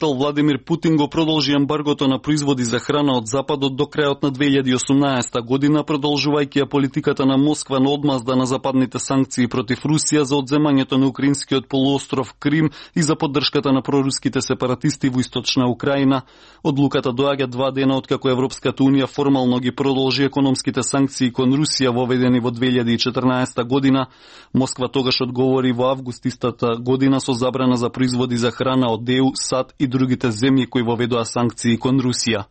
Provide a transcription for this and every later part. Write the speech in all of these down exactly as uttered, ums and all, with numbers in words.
Владимир Путин го продолжи ембаргото на производи за храна од Западот до крајот на две илјади и осумнаесета година, продолжувајќи ја политиката на Москва на одмазда на западните санкции против Русија за одземањето на украинскиот полуостров Крим и за поддршката на проруските сепаратисти во источна Украина. Одлуката доаѓа два дена откако Европската унија формално ги продолжи економските санкции кон Русија воведени во две илјади и четрнаесета година. Москва тогаш одговори во август истата година со забрана за производи за храна од Е У, САД и другите земји кои воведоа санкции кон Русија.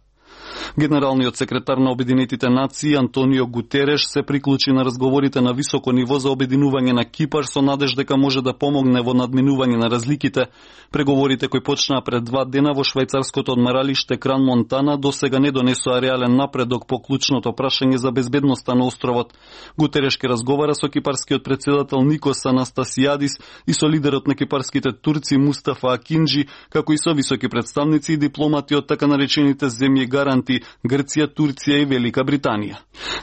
Генералниот секретар на Обединетите нации Антонио Гутереш се приклучи на разговорите на високо ниво за обединување на Кипар со надеж дека може да помогне во надминување на разликите. Преговорите кои почнаа пред два дена во швајцарското одмаралиште Кран Монтана досега не донесоа реален напредок по клучното прашање за безбедноста на островот. Гутереш ке разговара со кипарскиот председател Никос Анастасијадис и со лидерот на кипарските турци Мустафа Акинџи, како и со високи представници и дипломати од така наречените земји гаранти Грција, Турција и Велика Британија.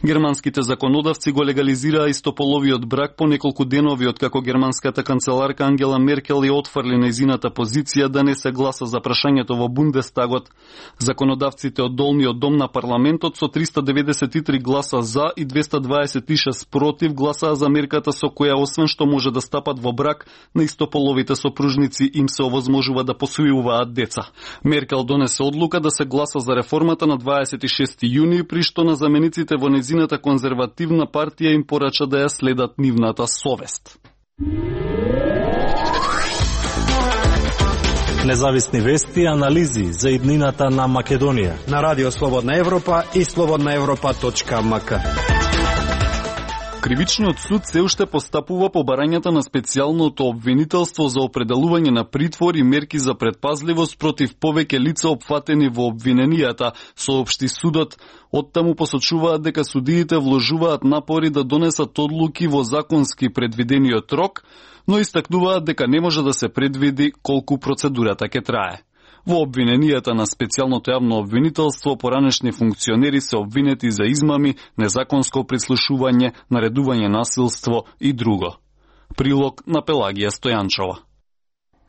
Германските законодавци го легализираа истополовиот брак по неколку денови откако германската канцеларка Ангела Меркел ја отфрли нејзината позиција да не се гласа за прашањето во Бундестагот. Законодавците од долниот дом на парламентот со триста деветдесет и три гласа за и двеста дваесет и шест против гласаа за мерката со која освен што може да стапат во брак, на истополовите сопружници им се овозможува да посвојуваат деца. Меркел донесе одлука да се гласа за реформата на дваесет и шести јуни, при што на замениците во незината конзервативна партија им порача да ја следат нивната совест. Независни вести и анализи за иднината на Македонија на Радио Слободна Европа и слободна европа точка ем ка. Кривичниот суд се уште постапува по барањата на специјалното обвинителство за определување на притвор и мерки за предпазливост против повеќе лица опфатени во обвиненијата, соопшти судот. Оттаму посочуваат дека судиите вложуваат напори да донесат одлуки во законски предвидениот рок, но истакнуваат дека не може да се предвиди колку процедурата ќе трае. Во обвиненијата на специјалното јавно обвинителство поранешни функционери се обвинети за измами, незаконско прислушување, наредување насилство и друго. Прилог на Пелагија Стојанчова.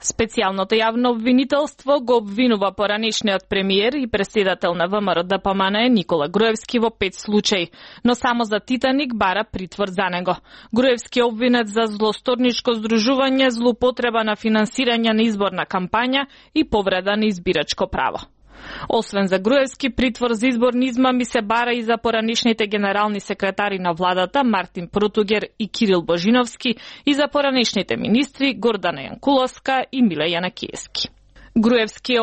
Специјалното јавно обвинителство го обвинува поранешниот премиер и председател на Вэ Ем Р Д П М Н Никола Груевски во пет случаи, но само за Титаник бара притвор за него. Груевски е обвинет за злосторничко здружување, злоупотреба на финансирање на изборна кампања и повреда на избирачко право. Освен за Груевски, притвор за изборни измами се бара и за поранешните генерални секретари на владата Мартин Протугер и Кирил Божиновски и за поранешните министри Гордана Јанкуловска и Миле Јанакиевски. Груевски е